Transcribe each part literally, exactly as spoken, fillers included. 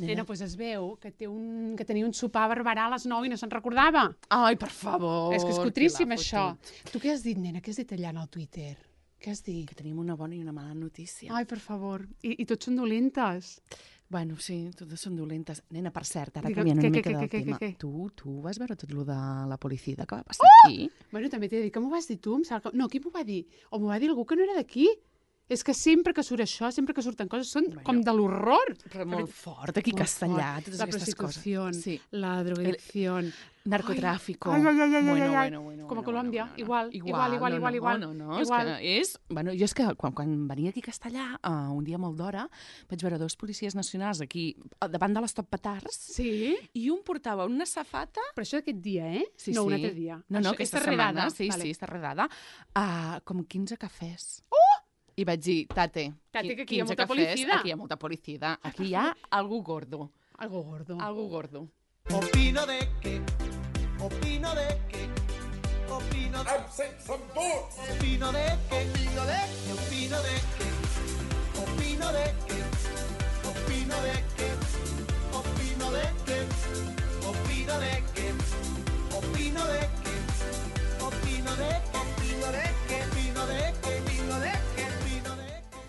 Nena, doncs es veu que, té un, que tenia un sopar a Barberà a les nou i no se'n recordava. Ai, per favor. És que és cutríssim, això. Tu què has dit, nena? Què has dit allà en el Twitter? Què has dit? Que tenim una bona i una mala notícia. Ai, per favor. I, i tots són dolentes. Bueno, sí, totes són dolentes. Nena, per cert, ara Digue, canviant una què, mica què, del què, tema. què, què? Tu, tu vas veure tot lo de la policia que va passar Oh! aquí? Bueno, també t'he de dir que m'ho vas dir tu. Em sembla que... No, qui m'ho va dir? O m'ho va dir algú que no era d'aquí. És que sempre que surt això, sempre que surten coses, són Bueno, com de l'horror. Però molt fort, aquí Molt castellà, fort. totes La aquestes prostitució, coses. Sí. la drogadicción. Narcotráfico. Ai, ai, ai, ai, bueno, ai, ai. bueno, bueno, Com a bueno, Colòmbia, bueno, igual, igual, igual, no, igual, no, igual. No, no, igual. és que és... Bueno, jo és que quan, quan venia aquí a Castellà, uh, un dia molt d'hora, vaig veure dos policies nacionals aquí, davant de les Top Petards, Sí? i un portava una safata... Però això d'aquest dia, eh? Sí, no, sí. un altre dia. No, no, Això, aquesta és setmana. redada. Sí, vale. sí, està redada. Uh, com quinze cafès. Oh! I vaig dir, tate, Tate, que aquí hi ha quinze molta cafès, policida. aquí hi ha molta policida. Aquí hi ha algú gordo. Algo gordo. Algú gordo. Opino de que, opino de que, opino de opino de que, opino de que, opino de que, opino de que, opino de que, opino de que, opino de que, opino de que, opino de que, opino de que, opino de que, opino de que, opino de que.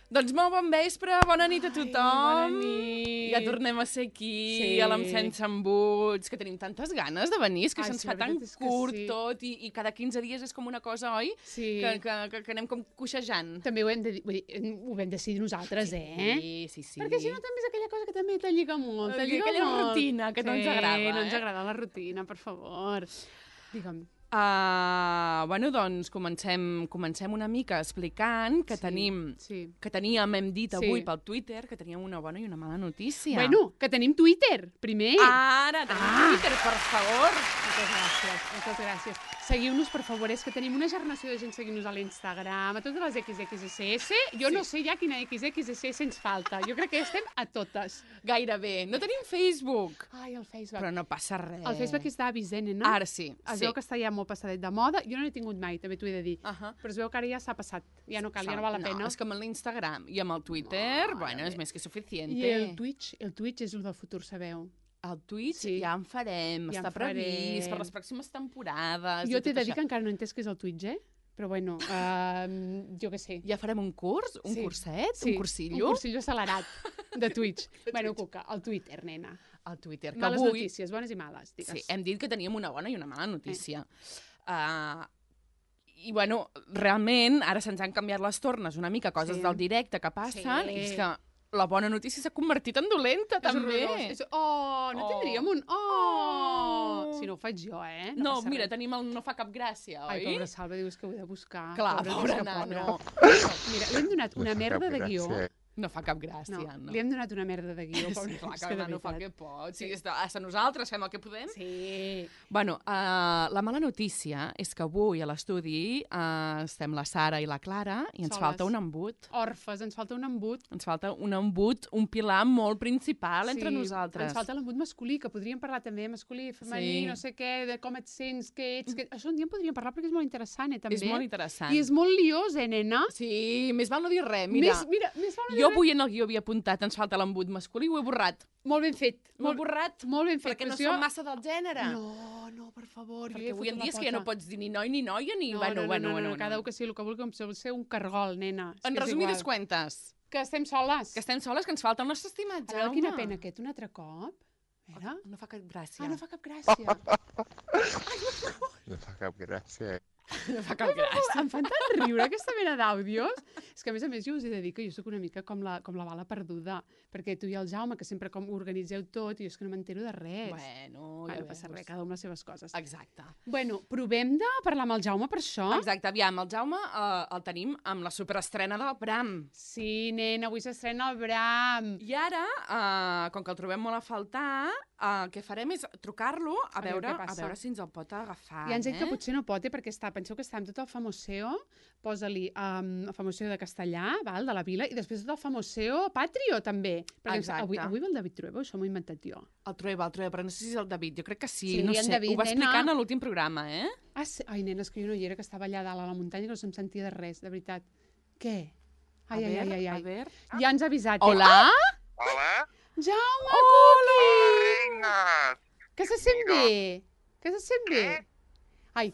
Doncs molt bon vespre, bona nit a tothom. bona nit. Ja tornem a ser aquí, Sí. a l'Am Sense Embuts, que tenim tantes ganes de venir, és que Ai, se'ns sí, fa la tan veritat és que curt sí. tot i, i cada quinze dies és com una cosa, oi? Sí. Que, que, que, que anem com coixejant. També ho hem, de, dir- vull dir, ho vam decidir nosaltres, eh? Sí, sí, sí. Perquè si no també és aquella cosa que també te lliga molt. Te Aquella lliga molt. rutina que no ens agrada, Sí, no ens eh? agrada la rutina, per favor. Digue'm. Uh, bueno, doncs comencem, comencem una mica explicant que Sí, tenim, sí. que teníem, hem dit Sí. avui pel Twitter, que teníem una bona i una mala notícia. Bueno, que tenim Twitter, primer. Ara, tenim Ah. Twitter, per favor. Moltes gràcies, moltes gràcies. Seguiu-nos, per favor, és que tenim una generació de gent seguint-nos a l'Instagram, a totes les X X S S. Jo Sí. no sé ja quina X X S S ens falta. Jo crec que estem a totes. Gairebé. No tenim Facebook. Ai, el Facebook. Però no passa res. El Facebook està avisent, no? Ara sí, Es sí. veu que està ja molt passadet de moda. Jo no l'he tingut mai, també t'ho he de dir. Ahà. Però es veu que ara ja s'ha passat. Ja no cal, ja no val la pena. No, és que amb l'Instagram i amb el Twitter, bueno, és més que suficiente. I el Twitch, el Twitch és el del futur, sabeu? El Twitch Sí. ja en farem, Ja en està previst farem. per les pròximes temporades. Jo i t'he tot de dir això. que encara no he entès què és el Twitch, eh? Però bueno, uh, jo què sé. Ja farem un curs, un Sí. curset, Sí, un cursillo. Un cursillo accelerat de Twitch. bueno, Cuca, el Twitter, nena. Al Twitter, que Males avui... notícies, bones i males, digues. Sí, hem dit que teníem una bona i una mala notícia. Uh, I, bueno, realment, ara se'ns han canviat les tornes una mica, coses Sí. del directe que passen, Sí. i és que la bona notícia s'ha convertit en dolenta, És també. horrorós. És... Oh, no Oh. tindríem un... Oh! Si no ho faig jo, eh? No, passa mira, res. tenim el no fa cap gràcia, oi? Ai, pobra Salva, dius que ho he de buscar. Clar, Pobra, pobre és que nano. Mira, li hem donat una merda de guió. No fa cap gràcia, No, no. li hem donat una merda de guió. Sí, Pobra, clar, és que que de el nano fa el que veritat. pot. Sí, està, hasta nosaltres fem el que podem. Sí. Bueno, uh, la mala notícia és que avui a l'estudi uh, estem la Sara i la Clara i ens Soles. falta un embut. Orfes, ens falta un embut. Ens falta un embut, un pilar molt principal entre Sí, nosaltres. Ens falta l'embut masculí, que podríem parlar també de masculí, femení, Sí. no sé què, de com et sents, què ets... Que... Això un dia en podríem parlar perquè és molt interessant, eh, també. És molt interessant. I és molt liós, eh, nena? Sí, més val no dir res, mira. Més, mira, més val no dir Jo res. avui en el guió havia apuntat ens falta l'embut masculí i ho he borrat. Molt ben fet. Ho he borrat Molt ben fet. perquè no però som massa del gènere. No, no, per favor. Perquè avui en dia és que ja no pots dir ni noi ni noia ni... No, bueno, no, no, bueno, no, bueno, no, bueno. cada un que sigui el que vulgui, com si vol ser un cargol, nena. És En que és resumides igual. cuentes, Que estem soles. que estem soles, que ens falta el nostre estimat A veure, Jaume. quina pena aquest, un altre cop. A veure. No fa cap gràcia. Ah, no fa cap gràcia. No fa cap gràcia. No fa cap gràcia. Em fan tant riure aquesta mena d'àudios. És que, a més a més, jo us he de dir que jo sóc una mica com la, com la bala perduda, perquè tu i el Jaume, que sempre com organiseu tot, i jo és que no m'entero de res. Bueno, ja Bueno, no passa veus. res, cada un les seves coses. Exacte. Bueno, provem de parlar amb el Jaume per això. Exacte, aviam, el Jaume eh, el tenim amb la superestrena del Bram. Sí, nena, avui s'estrena el Bram. I ara, eh, com que el trobem molt a faltar, eh, el que farem és trucar-lo a, A veure veure, què a passa. veure si ens el pot agafar. Ja ens ha dit eh? que potser no pot, eh, perquè està, penseu que està amb tot el famoseo, posa-li um, el famoseo de castellà, val, de la vila, i després tot el famoseo patrio, també. Perquè Exacte. avui, avui va el David Trueba, això m'ho he inventat jo. El Trueba, el Trueba, però no sé si és el David, jo crec que sí, Sí, no en sé, David, ho va nena. explicant a l'últim programa, eh? Ah, sí. Ai, nena, és que jo no hi era, que estava allà dalt a la muntanya, que no se'm sentia de res, de veritat. Què? Ai, a ai, veure, ai, ai, a ai. veure. Ja ens ha avisat, eh? Hola? Hola? Jaume! Que se sent bé. Que se sent bé. ¿Qué? Ay,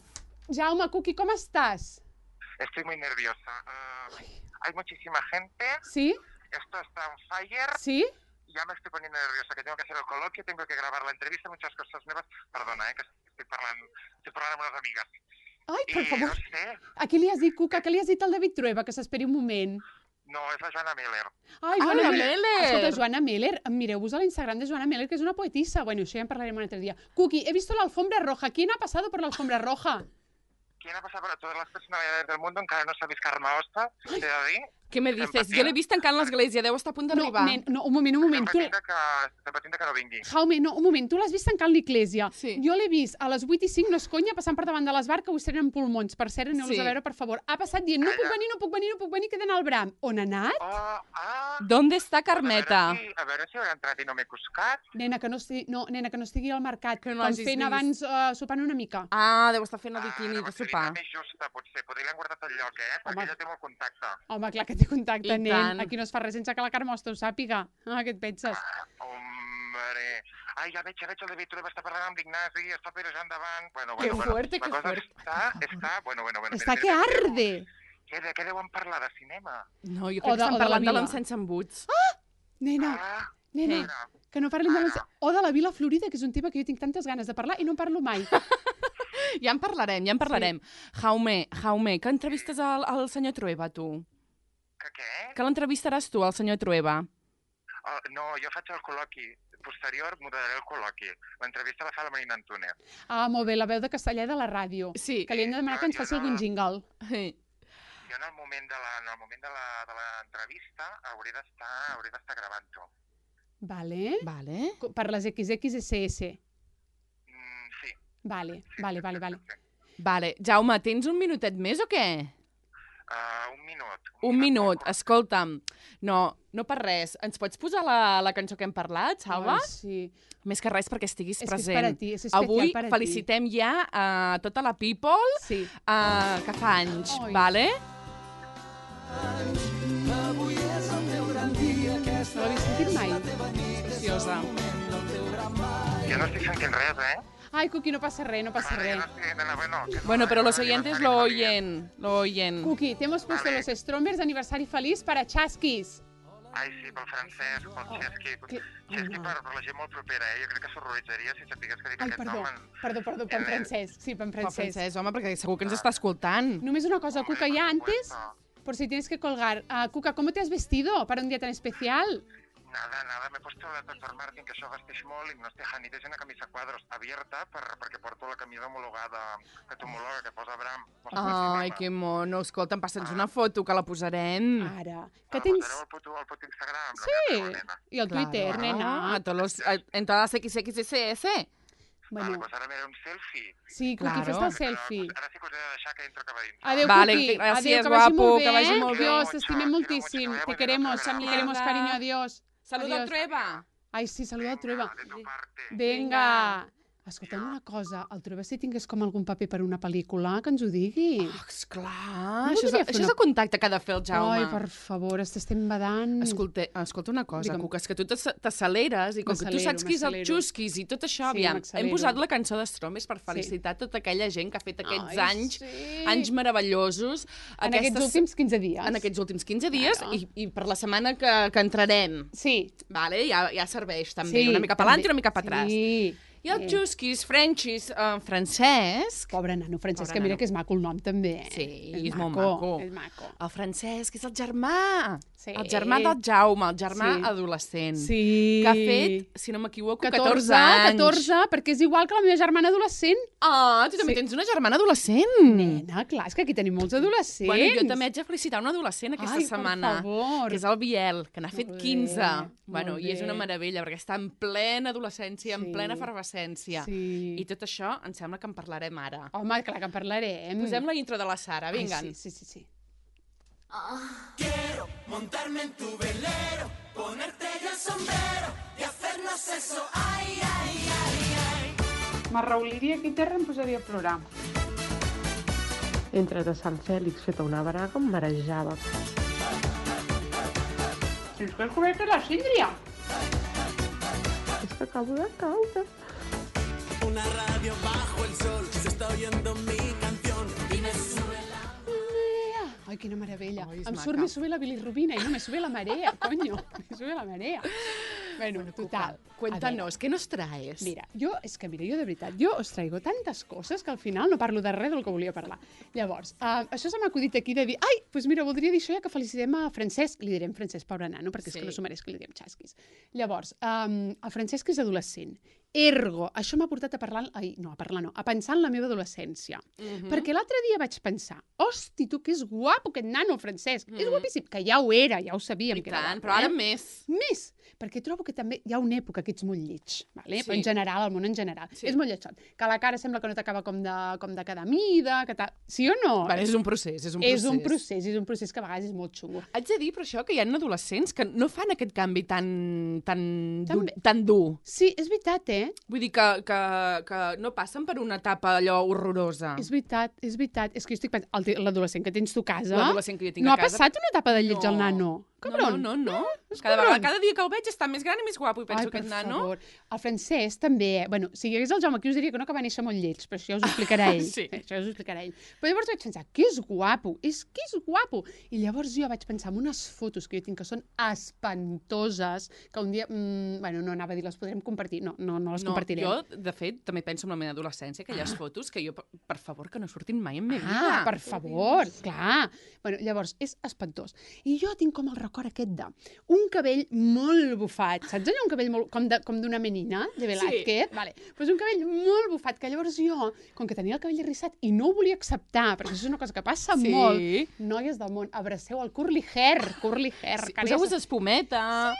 Jaume, Cookie, ¿cómo estás? Estoy muy nerviosa. Uh, hay muchísima gente. ¿Sí? Esto está on fire. ¿Sí? Ya me estoy poniendo nerviosa, que tengo que hacer el coloquio, tengo que grabar la entrevista, muchas cosas nuevas. Perdona, eh, que estoy parlant, estoy parlant amb unes amigues. Ai, per I favor. no sé, A qui li has dit, Cuca? Què li has dit al David Trueba? Que s'esperi un moment. no, és la Joana Miller. Ai, Ah, la Meller! Escolta, Joana Meller, mireu-vos a l'Instagram de Joana Meller, que és una poetisa. Bueno, això ja en parlarem un altre dia. Cookie, he visto la alfombra roja. ¿Quién ha pasado por la alfombra roja? ¿Quién ha pasado por todas las personalidades del mundo? Encara no sabéis Carme Osta, t'he de dir. Què me dices? Jo l'he vist tancant l'església, deu estar a punt No, d'arribar. nen, no, un moment, un moment. Estem Tu... patint que, estem patint que no vingui. Jaume, no, un moment, tu l'has vist tancant l'Iglésia. Sí. Jo l'he vist a les vuit i cinc, no és conya, passant per davant de l'esbar, que ho estrenen pulmons. Per cert, aneu-los Sí. a veure, per favor. Ha passat dient, no puc venir, no puc venir, no puc venir, que he d'anar al Bram. On ha anat? Oh, ah... ¿Dónde està Carmeta? A veure, si, a veure si haurà entrat i no m'he coscat. Nena, que no estigui, no, nena, que no estigui al mercat, Que no com l'hagis fent vist. abans, uh, sopant una mica. Ah, deu estar fent el Ah, biquini de llavors sopar. seria més justa, potser. Potser l'han guardat al lloc, eh? Perquè Home. ella té molt contacte. Home, clar que té contacte, I nen. tant. Aquí no es fa res sense que la Carme Osta ho sàpiga. Ah, què et penses? Hombre... Ai, ja veig, ja veig el David Trueba, està parlant amb l'Ignasi, està pirejant davant. Bueno, Que bueno, bueno. fuerte, la que cosa fuerte. Està, està... Bueno, bueno, bueno. Està mira, que mira, mira, arde. Què, de què deuen parlar? De cinema? No, jo O crec que de- estan o de la parlant de vila. l'encens embuts. Nena, Ah, nena, mira. que no parlem de Ara. l'encens... O de la Vila Florida, que és un tema que jo tinc tantes ganes de parlar i no en parlo mai. Ja en parlarem, ja en parlarem. Jaume, Jaume, que entrevistes al, al senyor Trueba, tu? Que què? Que l'entrevistaràs tu, al senyor Trueba? Oh, no, jo faig el col·loqui. Posterior moderaré el col·loqui. L'entrevista la fa la Marina Antúnez. Ah, molt bé, la veu de castellà de la ràdio. Sí. Que li hem de demanar que ens Jo faci no- algun jingle. Sí. Jo en el moment de la, en el moment de la, de l'entrevista hauré d'estar hauré d'estar gravant-ho. Vale. Vale. Co- Per les equis equis esse esse. Mm, sí. Vale, vale, vale, vale. Vale. Jaume, tens un minutet més o què? Uh, un minut. Un minut. Escolta'm. No, no per res. Ens pots posar la, la cançó que hem parlat, Salva? Ai, sí. Més que res perquè estiguis És que és present. per a ti, és especial Avui per a ti. felicitem ja a tota la people Sí. uh, que fa anys, Ai. vale? No l'havia sentit mai. Preciosa. Jo no estic sentint res, eh? Ai, Cuqui, no passa res, no passa Vale, jo res. no estic sentint, bueno, que no, Bueno, pero eh, los no, oyentes aniversari lo feliç. oyen, lo oyen. Cuqui, te hemos puesto Vale. los Strombers de aniversari feliç para Chasquis. Ai, sí, pel francès, pel Xesqui. que- Xesqui oh, per, per la gent molt propera, eh? Jo crec que s'horroritzaria si sapigués que dic Ai, aquest perdó, nom. en- perdó, perdó, per en en- francès. Sí, per en Per francès. francès, home, perquè segur que ens està escoltant. Només una cosa, Hombre, Cuca, ya por antes, supuesto. por si tienes que colgar. Ah, Cuca, ¿cómo te has vestido para un día tan especial? Nada, nada, m'he puesto la doctor Martin, que això vesteix molt, i no es tejanit, és una camisa quadros abierta per, perquè porto la camisa homologada que t'homologa, que posa Bram. Ai, que mono. Escolta'm, passa'ns una foto, que la posarem. Ara, que Ah, tens... posareu el puto, el puto Instagram. Sí, La nena. y el Twitter, Claro, nena. A todos los, a- en todas las equis equis esse esse. Vale, Bueno, pues ara miraré un selfie. sí, Cuqui, Claro. fes el selfie. Ara sí que us he de deixar que entro cap a dintre. Adéu, Vale, Cuqui. gràcies, Adéu, que vagi guapo, molt bé, que vagi eh? molt bé. Dios, t'estimem Mucho, moltíssim. mucho, Te mucho, queremos, mucho, te queremos, mucho. cariño, adiós. Saluda al Adiós. Trueba. Ai, sí, saluda el Trueba. De tu parte. Vinga. Escolta'm una cosa, el Trueba si tingués com algun paper per una pel·lícula, que ens ho digui. Oh, esclar, No això, és, voldria fer això és una- el contacte que ha de fer el Jaume. Ai, per favor, t'estem badant. Escolta, escolta una cosa, Digue'm. Cuca, és que tu t'ac- t'acceleres i com que tu M'accelero, saps qui és el m'accelero. Xusquis i tot això, Sí, aviam, hem m'accelero. posat la cançó d'Estrombes per felicitar tota aquella gent que ha fet aquests Ai, anys, sí. anys meravellosos. En aquests últims quinze dies. En aquests últims quinze dies Claro. i, i per la setmana que, que entrarem. Sí. Vale? Ja, ja serveix també, Sí, una mica per també. i una mica per atrás. Sí. I el Xusquis, Frenchis, eh, Francesc... Pobre nano, Francesc, Pobre que mira nano. que és maco el nom també. Sí, és és molt maco. És maco. El Francesc és el germà. Sí. El germà del Jaume, el germà Sí. adolescent. Sí. Que ha fet, si no m'equivoco, catorze, catorze, anys. catorze, perquè és igual que la meva germana adolescent. Ah, tu també Sí. tens una germana adolescent. Nena, clar, és que aquí tenim molts adolescents. Bueno, jo també haig de felicitar un adolescent aquesta Ai, setmana. per favor. Que és el Biel, que n'ha fet Molt bé, quinze. Bueno, molt i és una bé. meravella, perquè està en plena adolescència, en Sí. plena efervescència. Sí. I tot això em sembla que en parlarem ara. Home, clar que en parlarem. Posem la intro de la Sara, Ai, vinga. sí, sí, sí, sí. Montarme en tu velero, ponerte yo el sombrero y hacernos eso, ay, ay, ay, ay. M'arrauliria aquí a terra i em posaria a plorar. Entre de Sant Fèlix feta una braga em marejava. Si és que has cobert la síndria. És que acabo de caure. una radio bajo el sol, se está oyendo mi canción y me sube la... Ai, quina meravella. Ai, és Em maca. surt Me sube la bilirrubina i no Me sube la marea, coño. Me sube la marea. Bueno, total. Cuéntanos, ¿qué nos traes? Mira, jo, és que mira, jo de veritat, jo os traigo tantes coses que al final no parlo de res del que volia parlar. Llavors, uh, això se m'ha acudit aquí de dir, ai, doncs mira, voldria dir això ja que felicitem a Francesc, li direm Francesc, pobre nano, perquè sí. és que no s'ho mereix que li diem xasquis. Llavors, um, el Francesc és adolescent. Ergo, això m'ha portat a parlar, ai, no, a parlar no, a pensar en la meva adolescència. Mhm. Perquè l'altre dia vaig pensar, hosti, tu, que és guapo aquest nano, Francesc, és Mhm. guapíssim, que ja ho era, ja ho sabíem I que era tant, guapo, però ara eh? més. Més, perquè trobo que també hi ha una època que ets molt lleig, vale? Sí. Però en general, el món en general. Sí. És molt lleig. Que la cara sembla que no t'acaba com, de, com de cada mida, que ta... sí o no? Bueno, és un procés, és un procés. és un procés, és un procés que a vegades és molt xungo. Haig de dir, però això, que hi ha adolescents que no fan aquest canvi tan, tan, dur, També. tan dur. Sí, és veritat, eh? Vull dir que, que, que no passen per una etapa allò horrorosa. És veritat, és veritat. És que jo estic pensant, el te- l'adolescent que tens tu a casa... L'adolescent que jo tinc no a ha casa... passat una etapa de lleig No. al nano. Cabron. No, no, no. és Cada, cabron. vegada, cada dia que el veig està més gran i més guapo i penso Ai, que per aquest nano... favor. El Francesc també, eh? Bueno, si hi hagués el Jaume aquí us diria que no, que va néixer molt lleig, però això ja us ho explicarà ell. Sí. Això ja us ho explicarà ell. Però llavors vaig pensar, que és guapo, és que és guapo. I llavors jo vaig pensar en unes fotos que jo tinc que són espantoses, que un dia, mm, bueno, no anava a dir, les podrem compartir. No, no, no les No, compartirem. jo, de fet, també penso en la meva adolescència, aquelles ah. fotos que jo, per, per favor, que no surtin mai en meva vida. Ah, per favor, clar. Bueno, llavors, és espantós. I jo tinc com el record aquest de un cabell molt bufat, saps allò? Un cabell molt, com de- com d'una menina, de Velázquez? Sí. Vale. Pues un cabell molt bufat, que llavors jo, com que tenia el cabell arrissat i no ho volia acceptar, perquè això és una cosa que passa Sí. molt, noies del món, abraceu el curly hair, curly hair. Sí, que ara ja poseu-vos se- espumeta.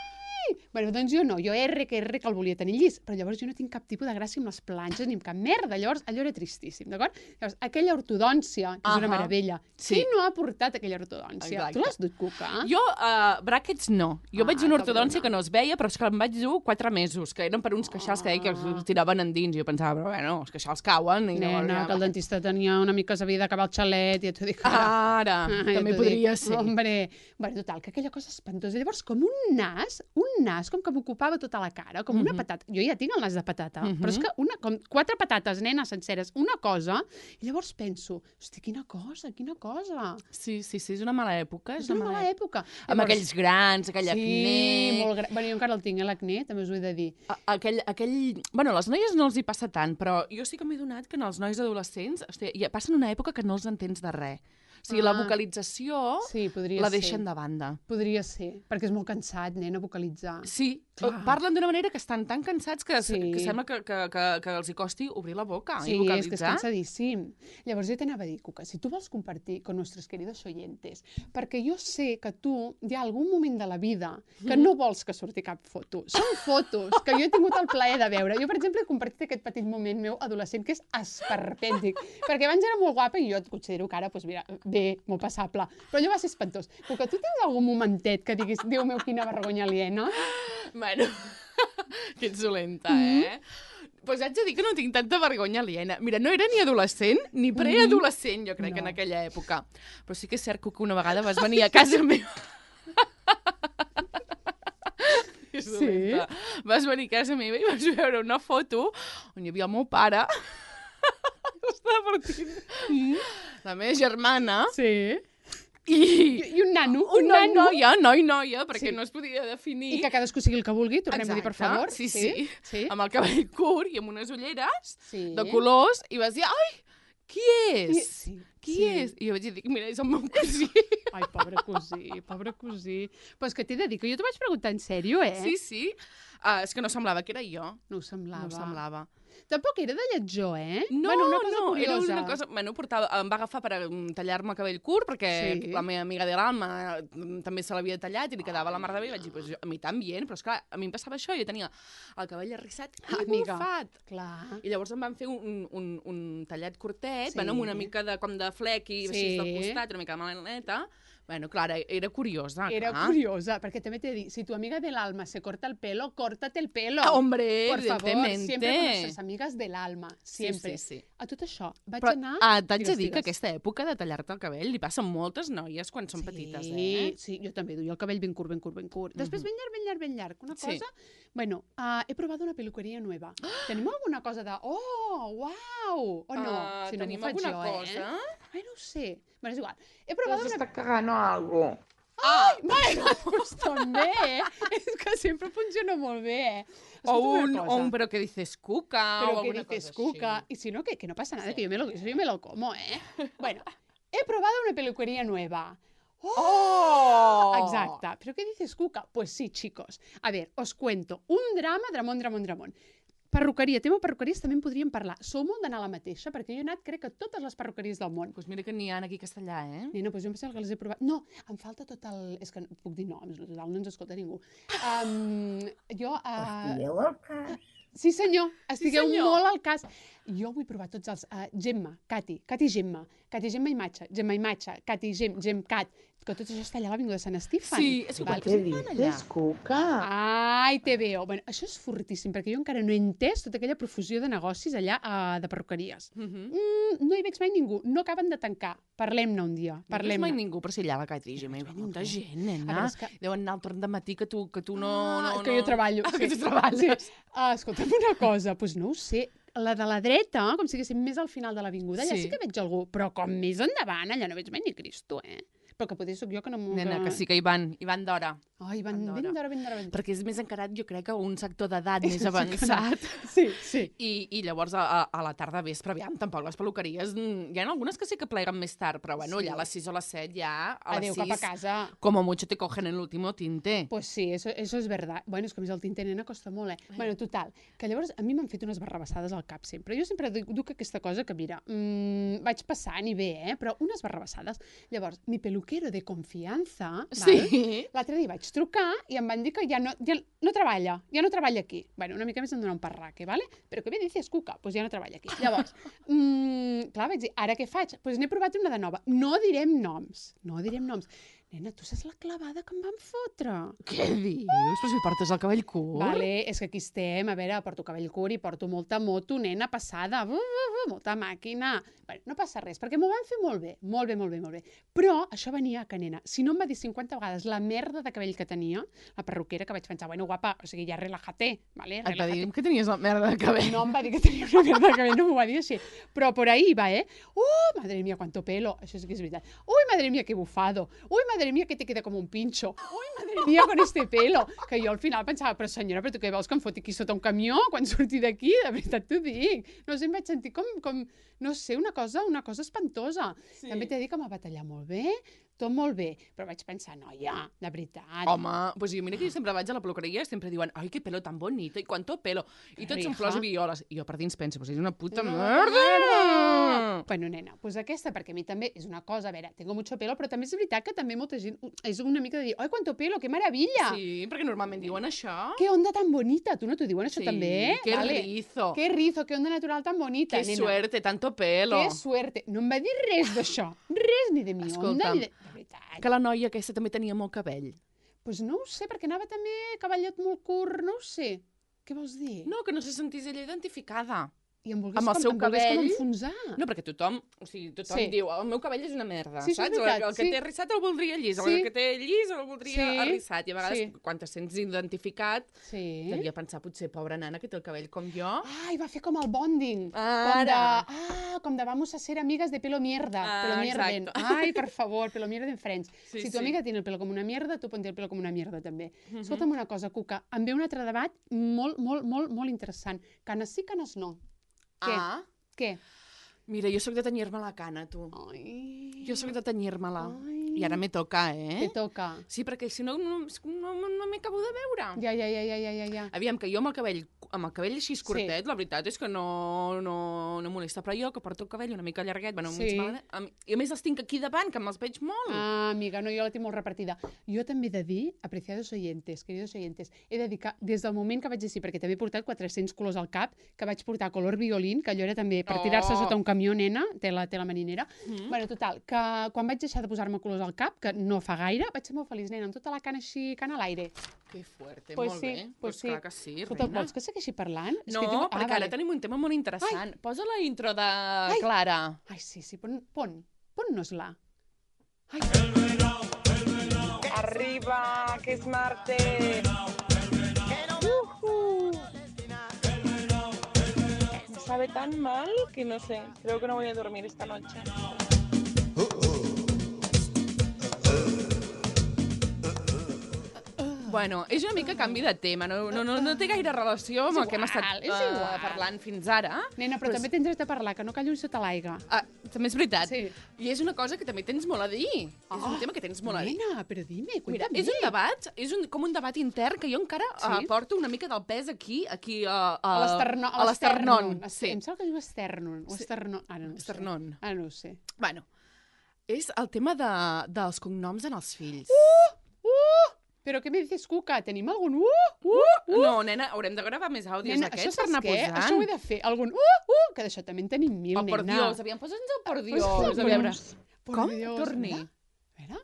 Bueno, doncs jo no, jo R que R que el volia tenir llis, però llavors jo no tinc cap tipus de gràcia amb les planxes ni amb cap merda, llavors allò era tristíssim, d'acord? Llavors, aquella ortodòncia, que és una Ahà. meravella, Sí. qui no ha portat aquella ortodòncia? Exacte. Tu l'has dut, Cuca? Jo, uh, bràquets, no. Jo Ah, vaig una cabrona. ortodòncia que no es veia, però és que em vaig dur quatre mesos, que eren per uns queixals que deia que Ah. els tiraven endins. I jo pensava, però bueno, els queixals cauen. I no, Nena, que el dentista tenia una mica s'havia d'acabar el xalet, ja t'ho dic ara. Ara, Ah, ja també t'ho podria dic. ser. Hombre, bueno, total, que aquella cosa espantosa. Llavors, com un nas, un nas com que m'ocupava tota la cara, com una Mhm. patata. Jo ja tinc el nas de patata, Mhm. però és que una, com quatre patates, nena, senceres, una cosa, i llavors penso, hosti, quina cosa, quina cosa. Sí, sí, sí, és una mala època. És una mala època. Amb aquells grans, aquell sí, acné... molt gran. Bueno, jo encara el tinc, eh, l'acné, també us ho he de dir. A- Aquell, aquell... Bueno, a les noies no els hi passa tant, però jo sí que m'he donat que en els nois adolescents hosti, ja passen una època que no els entens de res. O sigui, Ah. la vocalització Sí, podria la ser. deixen de banda. Podria ser, perquè és molt cansat, nena, vocalitzar. Sí, Clar. parlen d'una manera que estan tan cansats que, Sí. que sembla que, que, que, que els hi costi obrir la boca Sí, i és que és vocalitzar. cansadíssim. Llavors jo t'anava a dir, Cuca, si tu vols compartir con nuestros queridos oyentes, perquè jo sé que tu hi ha algun moment de la vida que no vols que surti cap foto. Són fotos que jo he tingut el plaer de veure. Jo, per exemple, he compartit aquest petit moment meu adolescent que és esperpèntic, perquè abans era molt guapa i jo et considero que ara, doncs mira, bé, molt passable. Però allò va ser espantós. Cuca, tu tens algun momentet que diguis, Déu meu, quina vergonya aliena? Bueno, que ets dolenta, Mm-hmm. eh? Pues haig de dir que no tinc tanta vergonya aliena. Mira, no era ni adolescent ni preadolescent, jo crec, No. en aquella època. Però sí que és cert que una vegada vas venir a casa meva... És Sí? dolenta. Vas venir a casa meva i vas veure una foto on hi havia el meu pare. Estava partint. Mm. La meva germana. Sí. I... I un nano, un Una nano. noia, noi, noia, perquè Sí. no es podia definir. I que cadascú sigui el que vulgui, tornem a dir, per Exacte, favor. Sí, sí. sí. Amb el cabell curt i amb unes ulleres Sí. de colors, i vas dir, ai, qui és? Sí. Qui sí. és? I jo vaig dir, mira, és el meu cosí. Ai, pobre cosí, pobre cosí. Però és que t'he de dir que jo t'ho vaig preguntar en sèrio, eh? Sí, sí. Uh, és que no semblava que era jo. No ho semblava. No ho semblava. Tampoc era de lletjor, eh? No, bueno, una cosa no, curiosa. era una cosa... Bueno, portava, em va agafar per mm, tallar-me el cabell curt, perquè Sí. la meva amiga de l'Alma mm, també se l'havia tallat i li quedava la mar de bé. I vaig dir, pues, jo, a mi també, però esclar, a mi em passava això, jo tenia el cabell arrissat i Amiga. bufat. Clar. I llavors em van fer un, un, un tallat curtet, Sí. bueno, amb una mica de, com de flec i Sí. així del costat, una mica de melaneta, Bueno, clar, era curiosa. Era clar. curiosa, perquè també t'he dit, si tu amiga del alma se corta el pelo, córtate el pelo. Ah, hombre, Por favor, evidentemente. siempre con nuestras amigas del alma, siempre. Sí, sí, sí. A tot això, vaig Però anar... ah, t'haig de Digues, dir que digues. aquesta època de tallar-te el cabell li passa a moltes noies quan són sí, petites, eh? Sí, jo també duia el cabell ben curt, ben curt, ben curt. Després ben llarg, ben llarg, ben llarg. Una Sí. cosa... Bueno, uh, he provat una peluqueria nueva. Tenim alguna cosa de... Oh, uau! O no? Ah, si no tenim m'ho faig alguna jo, cosa? Eh? Ai, no ho sé. Bueno, és igual. He provat una... S'està cagant o algo. Ai, bueno, doncs també, eh? És que sempre funciona molt bé, eh? O Escolta una un, cosa. o un però que dices cuca Pero o que alguna dices cosa cuca. així. Y si no, que, que no pasa nada, que yo me, lo, eso yo me lo como, ¿eh? Bueno, he probado una peluquería nueva. ¡Oh! Exacta. ¿Pero qué dices, cuca? Pues sí, chicos. A ver, os cuento. Un drama, dramón, dramón, dramón. Perruqueria, tema perruqueries també en podríem parlar. Sou molt d'anar a la mateixa, perquè jo he anat, crec que a totes les perruqueries del món. Pues mira que n'hi ha aquí a Castellà, eh? Nena, doncs jo em sembla que les he provat. No, em falta tot el... És que no puc dir noms, total, no ens escolta ningú. Um, jo... Uh... Sí, senyor, estigueu senyor. molt al cas. Jo vull provar tots els... Uh, Gemma, Cati, Cati Gemma, Cati Gemma Imatge, Gemma Imatge, Cati Gem, Gem Cat, que tot això està allà a l'Avinguda de Sant Estefan. Sí, és igual Val? que Què se'n van allà. dices, cuca? Ai, te veo. Bueno, això és fortíssim, perquè jo encara no he entès tota aquella profusió de negocis allà uh, de perruqueries. Mhm. Mm, no hi veig mai ningú, no acaben de tancar. Parlem-ne un dia, No veus parlem-ne. mai ningú, però si allà a la Catri Gemma hi va molta gent, A nena. veure, és que- Deuen anar al torn de matí que tu, que tu no... Ah, no, que jo no... treballo. Ah, que tu treballes. Sí. Uh, escolta'm una cosa, doncs no ho sé. La de la dreta, com si haguéssim més al final de l'avinguda, allà Sí. sí que veig algú, però com més endavant, allà no veig mai ni Cristo, eh? Però que potser sóc jo que no m'ho... Nena, que sí que hi van, hi van d'hora. Ai, van Van ben d'hora. d'hora, ben d'hora, ben d'hora. Perquè és més encarat, jo crec, que un sector d'edat més Sí, avançat. Sí, sí. I, I llavors a, a, a la tarda vespre, aviam, tampoc les peluqueries... mm, Hi ha algunes que sí que pleguen més tard, però bueno, Sí. ja a les sis o a les set ja... A Adéu, les cap a sis, casa. como mucho te cogen el último tinte. Pues sí, eso, eso és verdad. Bueno, és que a més el tinte nena costa molt, eh? Bueno, total, que llavors a mi m'han fet unes barrabassades al cap sempre. Jo sempre duc, duc aquesta cosa que, mira, mmm, vaig passant i bé, eh? Però unes barrabassades. Llavors, mi peluquero de confiança, Sí. val? L'altre dia vaig trucar i em van dir que ja no, ja no treballa, ja no treballa aquí. Bueno, una mica més em dona un parraque, ¿vale? Però què bé dices, cuca? Pues ja no treballa aquí. Llavors, mmm, clar, vaig dir, ara què faig? Pues n'he provat una de nova. No direm noms, no direm noms. Nena, tu saps la clavada que em van fotre? Què dius? Però si portes el cabell curt. Vale, és que aquí estem, a veure, porto cabell curt i porto molta moto, nena, passada, uh, uh, uh, molta màquina. Bueno, no passa res, perquè m'ho van fer molt bé, molt bé, molt bé, molt bé. Però això venia que, nena, si no em va dir cinquanta vegades la merda de cabell que tenia, la perruquera, que vaig pensar, bueno, guapa, o sigui, ja relájate, vale? Et va Relájate. dir que tenies la merda de cabell. No em va dir que tenia una merda de cabell, no m'ho va dir així. Però por ahí va, eh? Uh, madre mía, cuánto pelo. Això sí que és veritat. Uy, madre mía, qué bufado. Uy, madre mía, que te queda como un pincho. Uy, madre mía, con este pelo. Que jo al final pensava, però senyora, però tu què vols que em foti aquí sota un camió quan surti d'aquí? De veritat t'ho dic. No sé, em vaig sentir com, com no sé, una cosa, una cosa espantosa. Sí. També t'he dit que m'ha batallat molt bé, tot molt bé, però vaig pensar, noia, de veritat. Home, pues jo mira que jo sempre vaig a la peluqueria i sempre diuen ai, que pelo tan bonito, i quanto pelo. I tots són Rija. flors i violes. I jo per dins penso, pues és una puta Una merda! Bueno, nena, pues aquesta, perquè a mi també és una cosa, a veure, tengo mucho pelo, però també és veritat que també molta gent és una mica de dir, ai, cuánto pelo, que maravilla! Sí, perquè normalment diuen això. Que onda tan bonita, tu no t'ho diuen això Sí, també? que Vale. rizo. Que rizo, que onda natural tan bonita, Que nena. suerte, tanto pelo. Que suerte. No em va dir res d'això, res ni de mi onda, Escolta'm, ni de... De veritat. Que la noia aquesta també tenia molt cabell. Pues no ho sé, perquè anava també cavallet molt curt, no ho sé. Què vols dir? No, que no se sentís ella identificada. I em volgués, amb el com, seu em volgués com cabell. enfonsar. No, perquè tothom, o sigui, tothom Sí. diu el meu cabell és una merda, Sí, això és saps? veritat, el, el que sí. té rissat el voldria llis, Sí. el que té llis el voldria Sí, arrissat. I a vegades, sí. quan te sents identificat, Sí. devia pensar, potser, pobra nana, que té el cabell com jo. Ai, va fer com el bonding. Com de, Ara. ah, com de vamos a ser amigas de pelo mierda. Ah, pelo mierden. exacto. Ai, per favor, pelo mierden friends. Sí, si tu sí. amiga tiene el pelo com una mierda, tu ponte el pelo com una mierda també. Mhm. Escolta'm una cosa, Cuca, em ve un altre debat molt, molt, molt, molt interessant. Canes sí, canes no. Què? Ah, Què? mira, jo sóc de tenyir-me la cana, tu. Ai. Jo sóc de tenyir-me-la. Ai. I ara me toca, eh? Te toca. Sí, perquè si no, no, no, no m'he acabo de veure. Ja, ja, ja, ja, ja, ja, ja. Aviam, que jo amb el cabell amb el cabell així curtet, sí. La veritat és que no, no, no molesta, però jo que porto el cabell una mica llarguet, bueno, sí. Mig mal, i a més els tinc aquí davant, que me'ls veig molt. Ah, amiga, no, jo la tinc molt repartida. Jo també he de dir, apreciados oyentes, queridos oyentes, he de dir que des del moment que vaig així, perquè també he portat quatre-cents colors al cap, que vaig portar color violín, que allò era també per tirar-se Oh. sota un camió, nena, té la, té la marinera. Mm. Bueno, total, que quan vaig deixar de posar-me colors al cap, que no fa gaire, vaig ser molt feliç, nena, amb tota la cana així, cana a l'aire. Que fuerte, Pues molt sí, bé. pues Pues sí. clar que sí, Escolta, reina. vols que segueixi parlant? És No, que tinc... perquè ah, ara tenim un tema molt interessant. Posa la intro de Clara. Ai, sí, sí, pon, pon, pon-nos-la. Ai, Arriba, que es martes. Ujú. Me sabe tan mal que no sé, creo que no voy a dormir esta noche. Bueno, és una mica canvi de tema, no, no, no, no té gaire relació amb És el que hem estat igual, és eh, igual. parlant fins ara. nena, però Però també tens dret a parlar, que no callo sota l'aigua. Ah, també és veritat. Sí. I és una cosa que també tens molt a dir. Oh, és un tema que tens molt a dir. Nena, però dime, Mira, cuéntame. és un debat, és un, com un debat intern que jo encara Sí? uh, porto una mica del pes aquí, aquí uh, A l'esternó. a l'esternón. Sí. Sí. Em sembla que diu esternon. O esternon. Ara no ho sé. Esternón. Ara no ho sé. Bueno, és el tema de, dels cognoms en els fills. Uh! Però què me dices, Cuca? Tenim algun uh? Uh! Uh! No, nena, haurem de gravar més àudios Nena, això d'aquests per saps anar què? posant. Això ho he de fer. Algun uh! Uh! Que d'això també en tenim mil, El nena. por Dios, aviam, posa'ns el por Dios. Pues, A veure. Por Com? Dios, Torni. mira. A veure.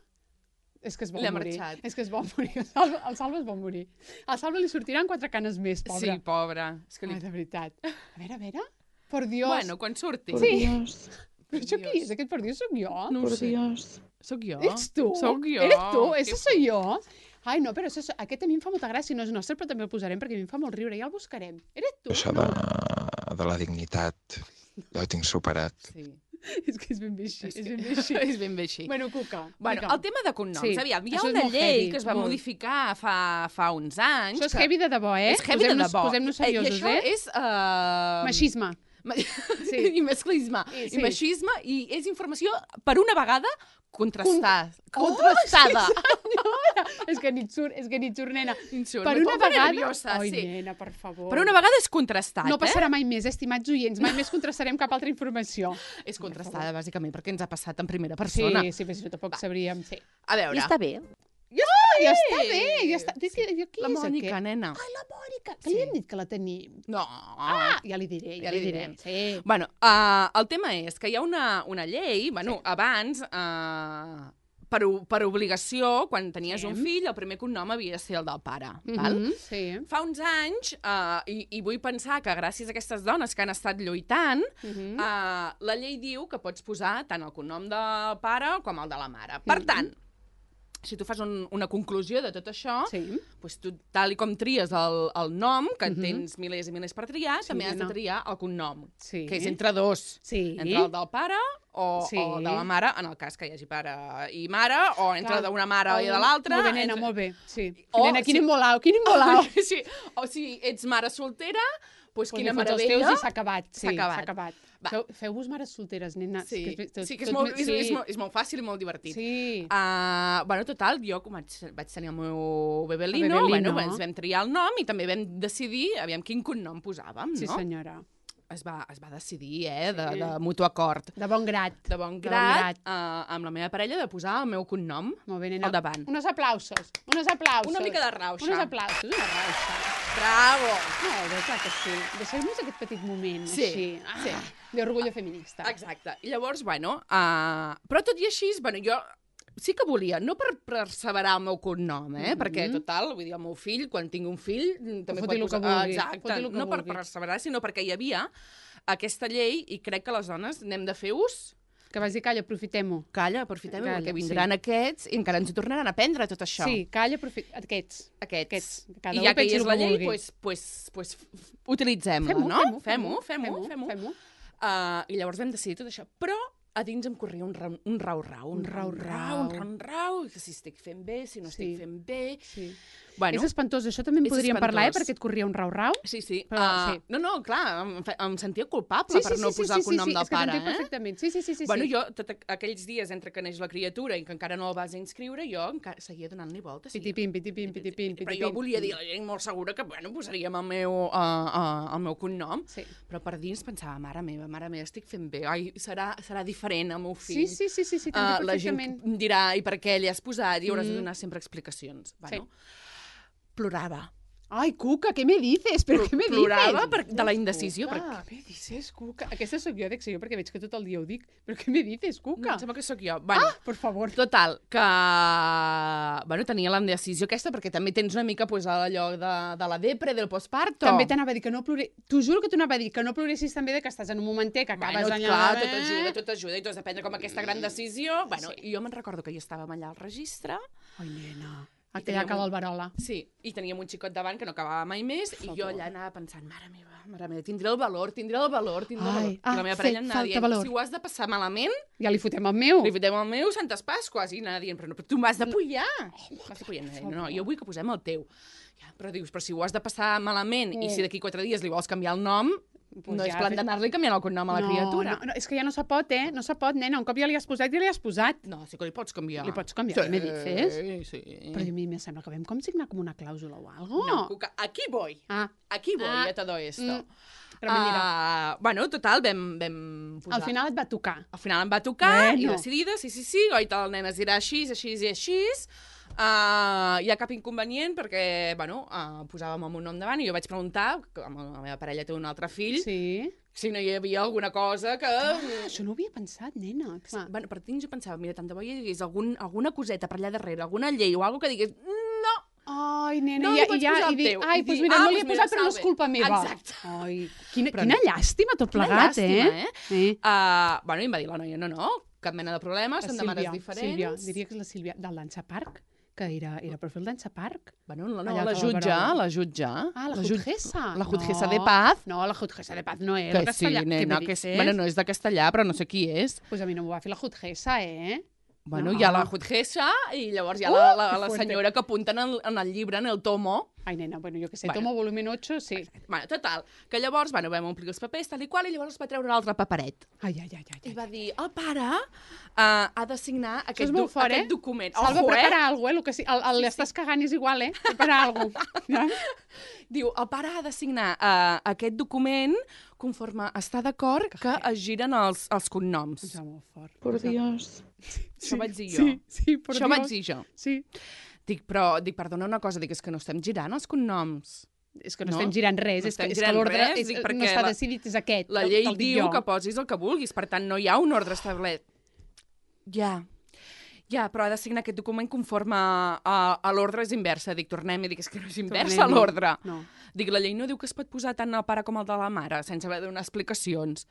És que es vol L'ha morir. marxat. És que es vol morir. El Salva, el Salva es vol morir. Al Salva li sortiran quatre canes més, pobre. Sí, pobra. És que li... Ai, de veritat. A veure, a veure. Por Dios. Bueno, quan surti. Por Sí. Dios, Però això qui és? Aquest por Dios sóc jo? No ho por sé. Dios. Sóc jo. Ets tu? Sóc jo. Eres tu? Ese Que soy jo? Ai, no, però això, aquest a mi em fa molta gràcia, no és nostre, però també el posarem perquè a mi em fa molt riure, ja el buscarem. Eres tu? Això de, de la dignitat, ja ho tinc superat. Sí. És que és ben bé així, És, és que... ben bé així. és ben bé així. Bueno, Cuca, Bueno, digue'm. el tema de cognoms. Sí, Aviam, hi ha això és una molt llei heavy, que es va molt. modificar fa, fa uns anys. Això és que... heavy de debò, eh? És heavy de Posem-nos- debò. Posem-nos Eh, seriosos, I això eh? és... Uh... Machisme. Ma... Sí. I masclisme. I, I sí. machisme. I és informació, per una vegada, contrastada. Oh, Contrastada. sí, senyora! És que ni et surt, és que ni et surt, nena. Insult, Per me una pongo vegada... nerviosa, Ai, sí. nena, per favor. Per una vegada és contrastat, No eh? passarà mai més, estimats oients. Mai més contrastarem cap altra informació. És contrastada, bàsicament, perquè ens ha passat en primera Sí, persona. sí, però si no tampoc sabríem. Sí. A veure... I està bé. Ja està bé, ja està. Dic, jo, qui La és Mònica, aquest? nena. Ai, la Mònica, que li hem dit que la tenim. No. Ah, ja li diré, ja, Ja li li diré. direm. Sí. Bueno, uh, el tema és que hi ha una, una llei, bueno, sí. abans, uh, per, o- per obligació, quan tenies Sí. un fill, el primer cognom havia de ser el del pare, val? Mhm, sí. Fa uns anys, uh, i, i vull pensar que gràcies a aquestes dones que han estat lluitant, Mhm. uh, la llei diu que pots posar tant el cognom del pare com el de la mare. Per Mhm. tant, si tu fas un, una conclusió de tot això, Sí. doncs tu, tal i com tries el, el nom, que en Mhm. tens milers i milers per triar, Sí, també has de nena. triar el cognom, Sí. que és entre dos. Sí. Entre el del pare o, Sí. o de la mare, en el cas que hi hagi pare i mare, o entre Clar. d'una mare i de El- l'altra. Molt bé, nena, entre... molt bé. Sí. O Nena, quin si- embolau, quin embolau. Sí. O si ets mare soltera, doncs Pues quina li fots els meravella. teus i s'ha acabat. Sí, S'ha acabat. S'ha acabat. Va. Feu, feu-vos mares solteres, nena. Sí, És que és, tot, sí que és tot molt, me- és, sí. és, molt, és molt fàcil i molt divertit. Sí. Uh, bueno, total, jo com vaig, vaig tenir el meu bebelino, El bebelino. bueno, ens vam triar el nom i també vam decidir aviam quin cognom posàvem, Sí, no? senyora. Es va, es va decidir, eh, de, Sí. de mutu acord. De bon grat. De bon De bon grat, uh, amb la meva parella, de posar el meu cognom Molt bé, nena. al davant. Unos aplausos. Unos aplausos. Una mica de rauxa. Unos aplausos, una rauxa. Bravo! Molt bé, clar que sí. Deixem-nos aquest petit moment, Sí, així. Ah, sí. D'orgullo feminista. Exacte. I llavors, bueno, uh, però tot i així, bueno, jo sí que volia, no per perseverar el meu cognom, eh? Mhm. Perquè, total, vull dir, el meu fill, quan tingui un fill, mm, també Foti pot lo que posar... vulgui, Exacte, foti lo que no per vulgui. perseverar, sinó perquè hi havia aquesta llei i crec que les dones n'hem de fer ús. Que vas dir, calla, aprofitem-ho. Calla, aprofitem-ho, Calla, perquè vindran sí. aquests i encara ens hi tornaran a aprendre tot això. Sí, calla, aprofitem... Aquests. Aquests. Aquests. Cada I u ja que hi pensi és el la que llei, vulgui. pues, pues, pues, utilitzem-la, Fem-ho, no? fem-ho, Fem-ho, fem-ho, fem-ho. fem-ho. Uh, I llavors vam decidir tot això. Però a dins em corria un, ra un rau-rau, un Un rau-rau, rau-rau. un rau-rau, que si estic fent bé, si no estic Sí. fent bé... Sí. Bueno, és espantós, això també en és podríem parlar, eh, espantós. perquè et corria un rau-rau. Sí, sí. Però, uh, sí. No, no, clar, em, fe- em sentia culpable per no posar el cognom sí, del és que pare, t'entenc eh? perfectament. Sí, sí, sí, sí. Bueno, sí. jo, tot aqu- aquells dies entre que neix la criatura i que encara no el vas inscriure, jo encara seguia donant-li voltes. sí. Pitipim, pitipim, pitipim, Però pitipim. jo volia dir a la gent molt segura que, bueno, posaríem el meu, uh, uh, el meu cognom, Sí. però per dins pensava, mare meva, mare meva, estic fent bé, ai, serà, serà diferent el meu Sí, fill. sí, sí, sí, sí, Uh, t'entenc la gent perfectament. dirà, i per què li has posat? I hauràs de Mm. donar sempre explicacions. Bueno, plorava. Ai, Cuca, què me dices? Però què me dices? Plorava per, de la indecisió. Cuca, Perquè... què me dices, Cuca? Aquesta sóc jo, dic jo, perquè veig que tot el dia ho dic. Però què me dices, No, Cuca? em sembla que sóc jo. Bueno, Ah, per favor. total, que bueno, tenia l'indecisió aquesta, perquè també tens una mica pues, allò de, de la depre, del postparto. També t'anava a dir que no plore... T'ho juro que t'anava a dir que no ploressis també de que estàs en un momentet que acabes Bueno, allà... clar, eh? tot ajuda, tot ajuda, i tu has de prendre com aquesta gran decisió. Bueno, Sí. i jo me'n recordo que jo estàvem allà al registre, Ai, nena. I Aquella teníem que un- l'Alberola. sí, i teníem un xicot davant que no acabava mai més, i jo favor. allà anava pensant, mare meva, mare meva, tindré el valor, tindré el valor, tindré el Ai, valor. ah, I la meva fe- parella anava falta dient, valor. si ho has de passar malament, Ja li fotem el meu. li fotem el meu Santes Pasques, i anava dient, però, no, però tu m'has d'apoyar. Oh, M'has d'apoyar. No, no, jo vull que posem el teu. Ja, però dius, però si ho has de passar malament i si d'aquí quatre dies li vols canviar el nom, Pues no ja, és plan fe- d'anar-li canviant el cognom a la no, criatura. No, no, és que ja no se pot, eh? No se pot, nena. Un cop ja li has posat, ja li has posat. No, sí que li pots canviar. Li pots canviar, sí, me dices? Sí, sí. Però a mi me sembla que vam com signar com una clàusula o algo. No, Cuca, aquí voy. Ah, Aquí voy Ah. a todo esto. Mm. Però mira, Ah, bueno, total, vam, vam posar... al final et va tocar. Al final em va tocar, Bueno. i decidida, sí, sí, sí, goita, el nen es dirà així, així i així. Uh, hi ha cap inconvenient perquè, bueno, uh, posàvem el meu nom davant i jo vaig preguntar, que la meva parella té un altre fill, Sí. si no hi havia alguna cosa que... Ah, això no ho havia pensat, nena. Clar. Bueno, per dins jo pensava, mira, tant de bo hi hagués algun, alguna coseta per allà darrere, alguna llei o alguna que digués, no, Ai, nena, No i, li ja, pots i, ja, posar i el dic, teu. ai, I doncs dir, mira, ah, no li he doncs mira, posat, però no és salve. culpa meva. Exacte. Ai, quina, Però quina no. llàstima tot Quina plegat, llàstima, eh? eh? Sí. Uh, bueno, i em va dir la noia, no, no, cap mena de problema, La són de mares Sílvia, diferents. Sílvia, diria que és la Sílvia, del Dansa Park, que era, era profil Dansa Park. Bueno, no, no, Allà la a jutja, Barcelona. la jutja. Ah, la, jut- jutgessa. La jutgessa no, de paz. No, la jutgessa de paz no és. Que el sí, castellà. nena, Què me que és, dices? bueno, no és de castellà, però no sé qui és. Pues a mi no m'ho va fer la jutgessa, eh? Bueno, No. hi ha la jutgessa i llavors hi ha Uh, la, la, que la fuerte. senyora que apunta en el, en el llibre, en el tomo. Ai, nena, bueno, jo que sé, Bueno. tomo volumen ocho, sí. Bueno, total, que llavors, bueno, vam omplir els papers, tal i qual, i llavors es va treure l'altre paperet. Ai, ai, ai, ai. I ai. va dir, el pare uh, ha de signar aquest, és molt do fort, aquest eh? document. Salva, Ojo, prepara eh? alguna cosa, eh? El que sí, el, el, Sí, l'estàs cagant és igual, eh? Prepara alguna cosa. Ja? Diu, el pare ha de signar uh, aquest document conforme està d'acord que es giren els, els cognoms. Em sembla molt fort. Por Dios. Això vaig dir jo. Sí, sí, per Això Dios. vaig dir jo. Sí. Dic, però, dic, perdona una cosa, dic, és que no estem girant els cognoms. És que no, No? estem girant res, No és que, estem és que girant l'ordre res, és- dic, no perquè està la- decidit, és aquest. La te'l- llei te'l dic diu jo. que posis el que vulguis, per tant, no hi ha un ordre establert. Ja, ja, però ha de signar aquest document conforme a, a, a l'ordre és inversa. Dic, tornem, i dic, és que no és inversa Tornem-hi. l'ordre. No. Dic, la llei no diu que es pot posar tant el pare com el de la mare, sense haver de donar explicacions.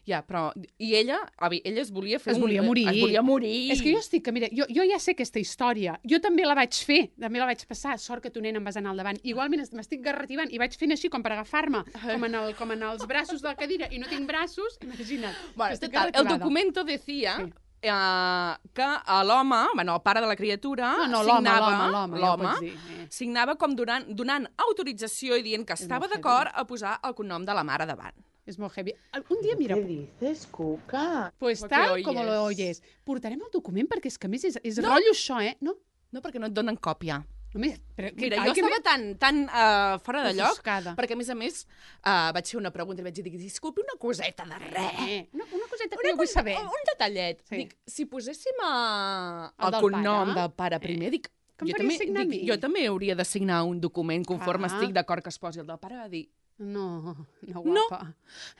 Ja, però... I ella, avi, ella es volia fer Es un... volia morir. Es volia morir. És que jo estic, que mira, jo, jo ja sé aquesta història. Jo també la vaig fer, també la vaig passar. Sort que tu, nena, em vas anar al davant. Igualment es- m'estic garrativant i vaig fent així com per agafar-me, com, en el, com en els braços de la cadira, i no tinc braços, imagina't. Bueno, Estic total, el garrativada. documento decía Sí. eh, que a l'home, bueno, el pare de la criatura, No, no, l'home, signava, l'home, l'home, ja ho l'home, pots dir, eh. signava com donant, donant autorització i dient que estava molt d'acord a posar el cognom de la mare davant. És molt heavy. Un dia, mira, ¿Qué dices, Cuca? pues Lo que tal oyes. com lo oyes. Portarem el document perquè és que a més és, és No. rotllo això, eh? No? No, perquè no et donen còpia. Només, però, Mira, ai, jo que estava me- tan, tan uh, fora de lloc, Ofuscada. perquè a més a més uh, vaig fer una pregunta i vaig dir, disculpi, una coseta de res. Eh, una, una coseta que Una jo vull cosa- saber. Un, un detallet. Sí. Dic, si poséssim uh, El el, del cognom pare? del pare primer, dic, Que em jo faries també, signar a dic, mi? jo també hauria de signar un document conforme Ah. estic d'acord que es posi el del pare. Va dir, No, no, No. guapa.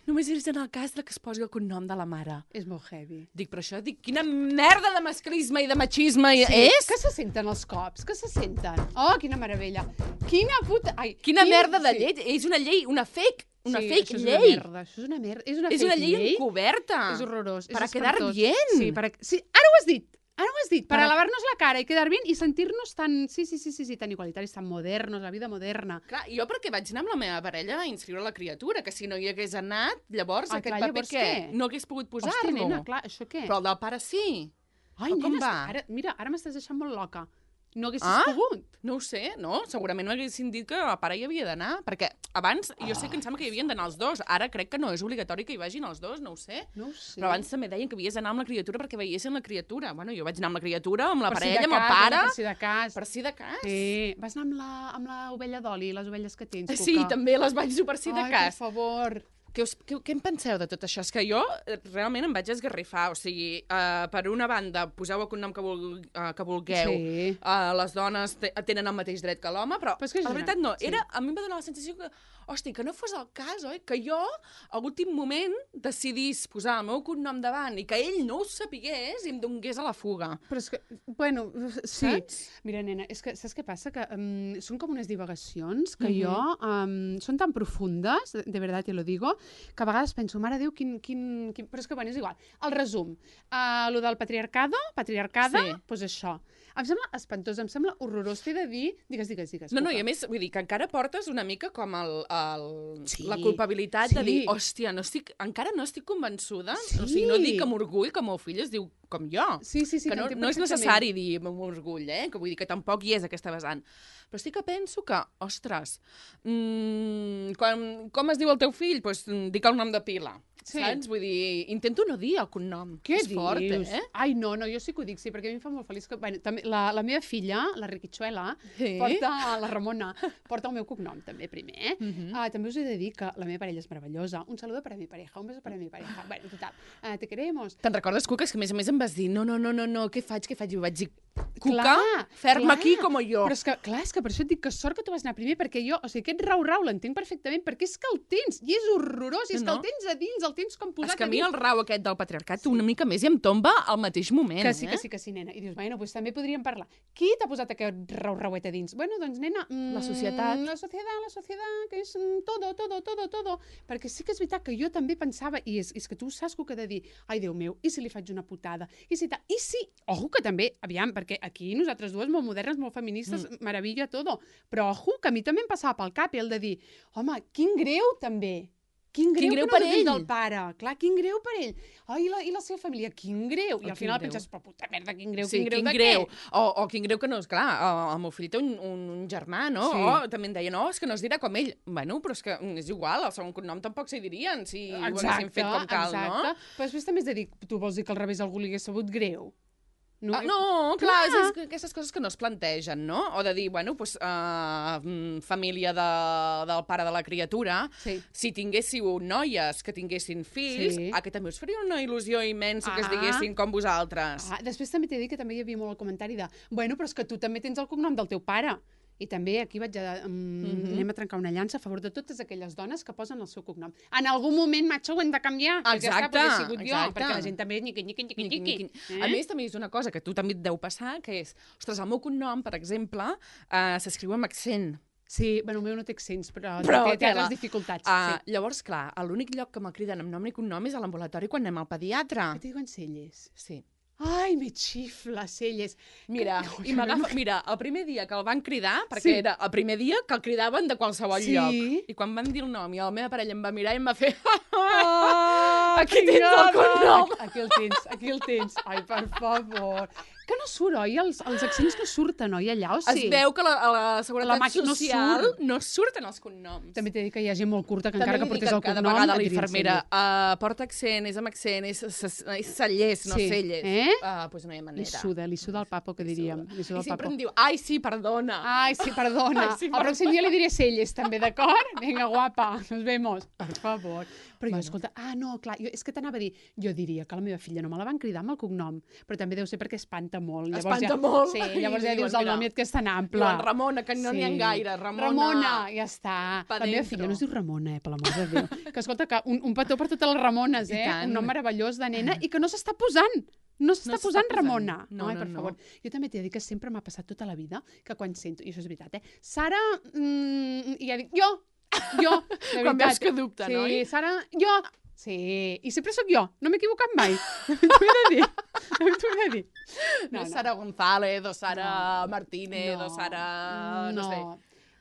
només és en el cas de que es posi el cognom de la mare. És molt heavy. Dic, però això, dic, quina merda de masclisme i de machisme és? Que se senten els cops? Que se senten? Oh, quina meravella. Quina puta... Ai, Quina merda de sí. llei. És una llei, una fake, una sí, fake això és llei. Una merda, això és una merda. És una, És fake una llei llei. encoberta. És horrorós. Per a és quedar espantós. bien. Sí, per a... sí, ara ho has dit. Ara ho has dit. Per Per a a- lavar-nos la cara i quedar bien i sentir-nos tan... Sí, sí, sí, sí, sí, tan igualitaris, tan modernos, la vida moderna. Clar, jo perquè vaig anar amb la meva parella a inscriure la criatura, que si no hi hagués anat, llavors Ah, aquest clar, paper llavors què? què? No hagués pogut Hòstia, posar-lo. nena, clar, això què? Però el del pare sí. Ai, o com nena, va? ara, mira, ara m'estàs deixant molt loca. No haguessis Ah? pogut. No ho sé, no? Segurament m'haguessin dit que el pare hi havia d'anar, perquè abans jo sé que em sembla que hi havien d'anar els dos, ara crec que no és obligatori que hi vagin els dos, no ho sé. No ho sé. Però abans també deien que havies d'anar amb la criatura perquè veiessin la criatura. Bueno, jo vaig anar amb la criatura, amb la Per si parella, de amb el cas, pare... Per si de cas. Per si de cas. Sí. Vas anar amb la, amb la ovella d'oli, les ovelles que tens, Cuca. Sí, també les vaig dur per si de Ai, cas. per favor. Què, us, què, què en penseu de tot això? És que jo eh, realment em vaig esgarrifar. O sigui, uh, per una banda, poseu el cognom que, vul, uh, que vulgueu. Sí. Uh, les dones te, tenen el mateix dret que l'home, però, Però és que és la una- veritat no. sí. Era, a mi em va donar la sensació que, hosti, que no fos el cas, oi? Que jo, a l'últim moment, decidís posar el meu cognom davant i que ell no ho sapigués i em donés a la fuga. Però és que, bueno, sí. Saps? Mira, nena, és que saps què passa? Que um, són com unes divagacions que Mhm. jo... Um, són tan profundes, de, de verdad te lo digo, que a vegades penso, mare Déu, quin, quin, quin... Però és que, bueno, és igual. El resum. Uh, lo del patriarcado, patriarcada, Sí. doncs pues això. Em sembla espantós, em sembla horrorós. T'he de dir... Digues, digues, digues. No, no, Cuca. i a més, vull dir que encara portes una mica com el, el, Sí, la culpabilitat de sí. dir, hòstia, no estic, encara no estic convençuda, Sí. o sigui, no dic amb orgull que el meu fill es diu com jo. Sí, sí, sí, que no, t'entenc no és perfectament. necessari dir amb orgull, eh? Que vull dir que tampoc hi és aquesta vessant. Però sí que penso que, ostres, mmm, quan, com es diu el teu fill? Doncs pues, dic el nom de pila, Sí. saps? Vull dir, intento no dir el cognom. Què és dius? fort, eh? Ai, no, no, jo sí que ho dic, sí, perquè a mi em fa molt feliç que... Bueno, també, la, la meva filla, la Riquichuela, Sí. porta, la Ramona, porta el meu cognom també primer, eh? Mhm. Ah, també us he de dir que la meva parella és meravellosa. Un saludo para mi pareja, un beso para mi pareja. Bueno, total, uh, te queremos. Te'n recordes, Cuca? És que a més a més em vas dir no, no, no, no, no, què faig, què faig? I ho vaig dir, Cuca, Clar, fer-me clar. aquí com jo. Però és que, clar, és que per això et dic que sort que tu vas anar primer, perquè jo, o sigui, aquest rau-rau l'entenc perfectament, perquè és que el tens, i és horrorós, i és No, no. que el tens a dins, el tens com posat És que a a mi dins. el rau aquest del patriarcat una mica més i em tomba al mateix moment, Que sí, eh? que sí, que sí, nena. I dius, bueno, doncs també podríem parlar. Qui t'ha posat aquest rau-rauet a dins? Bueno, doncs, nena... Mm, La societat. La societat, la societat, que és mm, todo, todo, todo, todo. Perquè sí que és veritat que jo també pensava, i és, és que tu saps que ho que he de dir, ai, Déu meu, i si li faig una putada? I si tal? I si... Ojo, que també, aviam, perquè aquí nosaltres dues, molt modernes, molt feministes, mm. meravella, todo. Però ojo, que a mi també em passava pel cap el de dir, home, quin greu, també. Quin greu, Quin greu que no per depèn ell. del pare. Clar, quin greu per ell. Ai, i la, i la seva família, quin greu. I Oh, al quin final greu. penses, però puta merda, quin greu, Sí, quin greu quin de greu. què? O, o quin greu que no, és clar, el, el meu fill té un, un, un germà, no? Sí. O també em deia, no, és que no es dirà com ell. Bueno, però és que mm, és igual, el segon cognom tampoc s'hi dirien si ho haguessin fet com cal, exacte. no? Però després també has de dir, tu vols dir que al revés algú li hagués sabut greu? No, Ah, no, clar, Clar. és, és aquestes coses que no es plantegen, no? O de dir, bueno, pues, uh, família de, del pare de la criatura, Sí. si tinguéssiu noies que tinguessin fills, Sí. a que també us faria una il·lusió immensa que es Ah. diguessin com vosaltres. Ah, després també t'he dit que també hi havia molt el comentari de bueno, però és que tu també tens el cognom del teu pare. I també aquí vaig a, um, Mhm. anem a trencar una llança a favor de totes aquelles dones que posen el seu cognom. En algun moment, macho, ho hem de canviar. perquè ja està, Exacte, perquè he sigut jo, exacte. perquè la gent també és niqui, niqui, niqui, Niqui, niqui. niqui. Eh? A més, també és una cosa que a tu també et deu passar, que és, ostres, el meu cognom, per exemple, uh, s'escriu amb accent. Sí, bueno, el meu no té accents, però, Però té, té tela. altres dificultats. Uh, sí. Llavors, clar, l'únic lloc que me'l criden amb nom i cognom és a l'ambulatori quan anem al pediatre. Què t'hi diuen Celles? Sí. Ai, me xifla, Celles. Mira, Que- i m'agafa... Mira, el primer dia que el van cridar, perquè Sí. era el primer dia que el cridaven de qualsevol Sí. lloc. I quan van dir el nom i la meva parella em va mirar i em va fer... Ah, Aquí tens el cognom. Aquí, aquí el tens, aquí el tens. Ai, per favor. Que no surt, oi? Els, els accents no surten, oi, allà, o sí? Es veu que la, a la Seguretat La màquina no Social surt. no surten els cognoms. També t'he dit que hi ha gent molt curta que També encara que li dic portés el cada cognom... vegada a la et dirien infermera, Celles. uh, porta accent, és amb accent, és, és, és cellers, no Sí. celles. Eh? Uh, pues no hi ha manera. Li suda, li suda el papo, que diríem. Li suda I el sempre papo. em diu, ai, sí, perdona. Ai, sí, perdona. Ai, sí, el pròxim dia li diré Celles, també, d'acord? Vinga, guapa, nos vemos. Per favor. Però jo, Bueno. escolta, ah, no, clar, jo, és que t'anava a dir, jo diria que la meva filla no me la van cridar amb el cognom, però també deu ser perquè espanta molt. Llavors Espanta ja, molt. Sí, I llavors ja diuen, dius el mira, nom i et que és tan ample. Diuen Ramona, que no n'hi ha gaire. Ramona. Ramona, ja està. Pa La meva dentro. filla no es diu Ramona, eh, per l'amor de Déu. Que escolta, que un, un petó per totes les Ramones, I eh? tant. Un nom meravellós de nena i que no s'està posant. No s'està No s'està posant posant. Ramona. No, Ai, no, per no. favor. Jo també t'he de dir que sempre m'ha passat tota la vida que quan sento, i això és veritat, eh? Sara, mm, i ja dic, jo, jo, de Quan veritat. veus que dubta, sí, no? Sí, Sara, jo. Sí, i sempre sóc jo, no m'he equivocat mai. T'ho he de dir, t'ho he de dir. No, és Sara González, o Sara No. Martínez, o Sara... no, sé.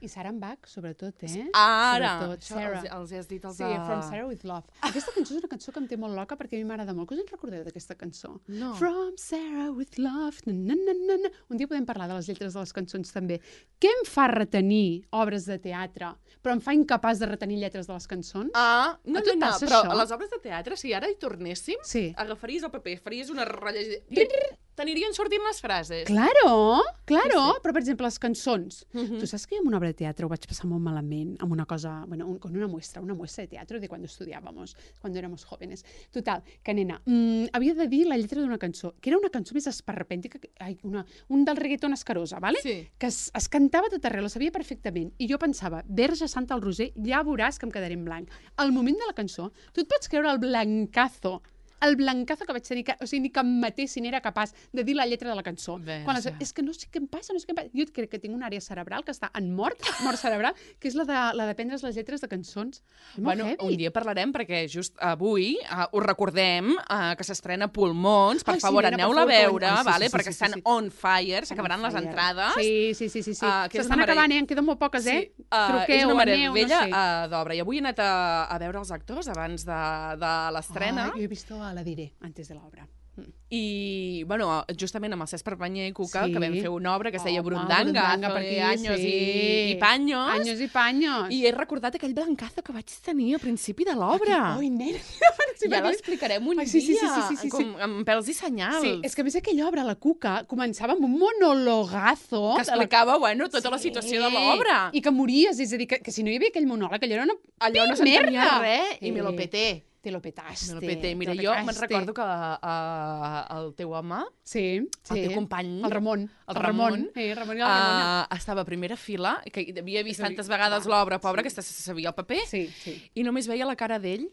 I Sarah Bach, sobretot, eh? Ara, Sobretot, això Sarah. els, els has dit els Sí, de... From Sarah with Love. Aquesta cançó és una cançó que em té molt loca perquè a mi m'agrada molt. Què us en recordeu d'aquesta cançó? No. From Sarah with Love. Na, na, na, na, na. Un dia podem parlar de les lletres de les cançons també. Què em fa retenir obres de teatre, però em fa incapaç de retenir lletres de les cançons? Ah, no, A tu no, et no, passa però això? a les obres de teatre, si ara hi tornéssim, Sí. agafaries el paper, faries una rellegida... T'anirien sortint les frases. Claro, claro, sí, sí. Però per exemple les cançons. Uh -huh. Tu saps que jo en una obra de teatre ho vaig passar molt malament, amb una cosa, bueno, un, con una muestra, una muestra de teatro de cuando estudiábamos, cuando éramos jóvenes. Total, que nena, mmm, havia de dir la lletra d'una cançó, que era una cançó més esperpèntica, que, ai, una, un del reggaeton escarosa, ¿vale? Sí. Que es, es cantava tot arreu, la sabia perfectament. I jo pensava, Verge Santa al Roser, ja veuràs que em quedaré en blanc. Al moment de la cançó, tu et pots creure el blancazo el blancazo que vaig tenir, que, o sigui, ni que em matessin era capaç de dir la lletra de la cançó. Quan les, és que no sé què em passa, no sé què em passa. Jo crec que tinc una àrea cerebral que està en mort, mort cerebral, que és la de, la de prendre's les lletres de cançons. És molt Bueno, heavy. un dia parlarem, perquè just avui uh, us recordem uh, que s'estrena Pulmons. Per Ai, sí, favor, nena, per aneu-la a favor, veure, ai, sí, sí, vale? sí, perquè sí, estan sí. on fire, s'acabaran les Fire. entrades. Sí, sí, sí, sí, sí. Uh, que és S'estan una acabant, merei- eh? En queden molt poques, eh? Sí, uh, Truqueu, és una aneu, meravella no sé. uh, d'obra. I avui he anat a, a veure els actors abans de, de l'estrena. Ah, jo he visto a La Diré, antes de l'obra. I, bueno, justament amb el Cesc Perpanyer i Cuca, Sí. que vam fer una obra que es deia Home, Burundanga, Burundanga, per aquí, Años sí. i, i Paños. Anyos i panyos. I he recordat aquell blancazo que vaig tenir al principi de l'obra. Ai, nena. Ja l'explicarem un Ai, sí, sí, sí, dia, sí, sí, sí. com amb pèls i senyals. Sí, és que a més aquella obra, la Cuca, començava amb un monologazo. Que de la- explicava, bueno, tota la situació de l'obra. I que mories, és a dir, que, que si no hi havia aquell monòleg, allò era una Allò no merda. s'entenia res i Eh, me lo peté. Te lo petaste. Me lo peté. Mira, te lo jo me'n petaste. recordo que uh, el teu home, Sí, sí. el teu company, El Ramon. el Ramon, Sí, el Ramon i la Ramona. uh, estava a primera fila, que havia vist És a dir, tantes vegades clar, l'obra, pobre, sí. que se sabia el paper, Sí, sí. i només veia la cara d'ell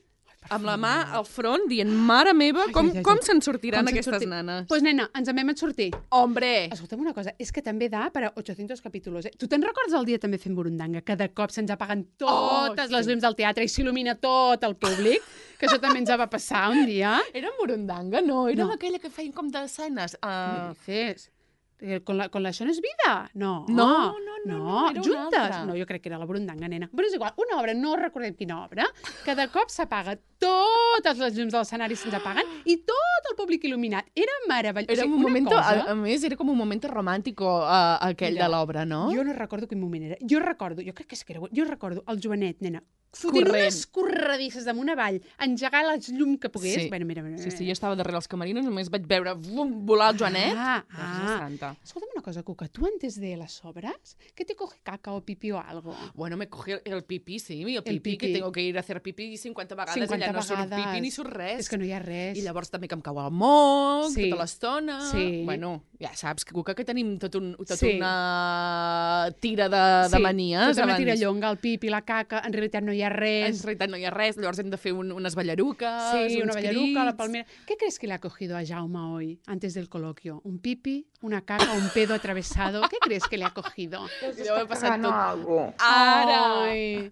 amb la mà al front, dient, mare meva, com, ai, ai, com ai. se'n sortiran Com se'n aquestes sorti- nanes? Doncs pues, nena, ens en vam sortir. Hombre! Escolta'm una cosa, és que també da per a ochocientos capítols. Eh? Tu te'n recordes el dia també fent Burundanga, que de cop se'ns apaguen totes Oh, les sí. llums del teatre i s'il·lumina tot el públic? Que això també ens va passar un dia. Era Burundanga, no? Era No. aquella que feien com d'escenes. Què Uh, dices? Eh, Con la, con la Això no és vida? No. No, no, no, no, era una juntes. altra. No, jo crec que era la Burundanga, nena. Però és igual, una obra, no recordem quina obra, que de cop s'apaga totes les llums de l'escenari se'ns apaguen i tot el públic il·luminat. Era meravellós. era O sigui, un una moment, cosa... a, a més, era com un moment romàntico uh, aquell Mira, de l'obra, no? Jo no recordo quin moment era. Jo recordo, jo crec que és que era... Jo recordo el Joanet, nena, fotent Corrent. unes corredisses damunt avall, engegar les llum que pogués. Sí. Bueno, mira, mira, Sí, sí, jo estava darrere els camerins, només vaig veure vum, volar el Joanet. Ah, Verge ah. Santa. Escolta'm una cosa, Cuca, tú antes de las obras, ¿qué te coge caca o pipí o algo? Bueno, me cogí el, el pipí, sí, el pipí, El que pipí. tengo que ir a hacer pipí cinquanta vegades cinquanta i allà no surt vegades. pipí ni surt res. És que no hi ha res. I llavors també que em cau el moc, Sí. tota l'estona. Sí. Bueno, ja saps, Cuca, que tenim tot un, tot Sí. una tira de, de manies. tota una abans. tirallonga, el pipi, la caca, en realitat no hi ha En res. realitat no hi ha res, llavors hem de fer un, unes ballaruques, Sí, una uns ballaruca, la crits. palmera. ¿Qué crees que le ha cogido a Jaume hoy, antes del coloquio? ¿Un pipi, una caca, un pedo atravesado? ¿Qué crees que le ha cogido? Deu haver passat tot. algo. Ara! Ai.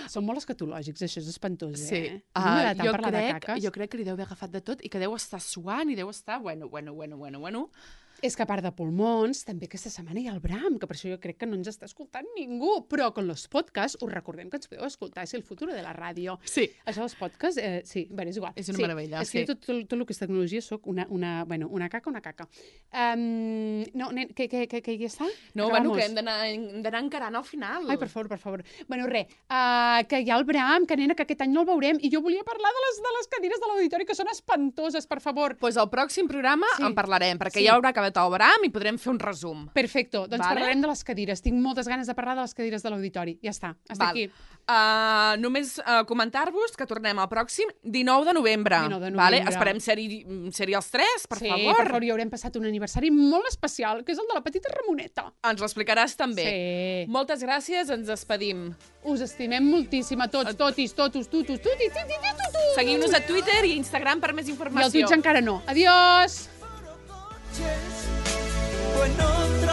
Són molt escatològics, això és espantós, Sí, eh? uh, A mi m'agrada tant jo, parlar de crec, caques. jo crec que li deu haver agafat de tot i que deu estar suant i deu estar, bueno, bueno, bueno, bueno, bueno. És que a part de pulmons, també aquesta setmana hi ha el Bram, que per això jo crec que no ens està escoltant ningú. Però con los podcasts us recordem que ens podeu escoltar, és el futur de la ràdio. Sí. Això dels podcasts, eh, sí, bé, és igual. És una sí. meravella, És que sí. jo tot, tot, tot el que és tecnologia soc una, una, bueno, una caca, una caca. Um, no, nen, que, que, que, que ja està? No, Acabamos? bueno, que hem d'anar hem d'anar encarant al final. Ai, per favor, per favor. Bueno, res, uh, que hi ha el Bram, que nena, que aquest any no el veurem, i jo volia parlar de les, de les cadires de l'auditori, que són espantoses, per favor. Pues al pròxim programa Sí. en parlarem, perquè Sí. ja haurà acabat el Bram i podrem fer un resum. Perfecto, doncs Vale. parlarem de les cadires. Tinc moltes ganes de parlar de les cadires de l'auditori. Ja està, hasta Val. aquí. Uh, només uh, comentar-vos que tornem al pròxim dinou de novembre. dinou de Vale? novembre. Esperem ser-hi ser els tres, per sí, favor. per favor, hi haurem passat un aniversari molt especial, que és el de la petita Ramoneta. Ens l'explicaràs també. Sí. Moltes gràcies, ens despedim. Us estimem moltíssim a tots, totis, totus, tutus, tutis, tutis, tutus. Seguiu-nos a Twitter i a Instagram per més I al informació. Twitch encara no. Adiós! Pues no te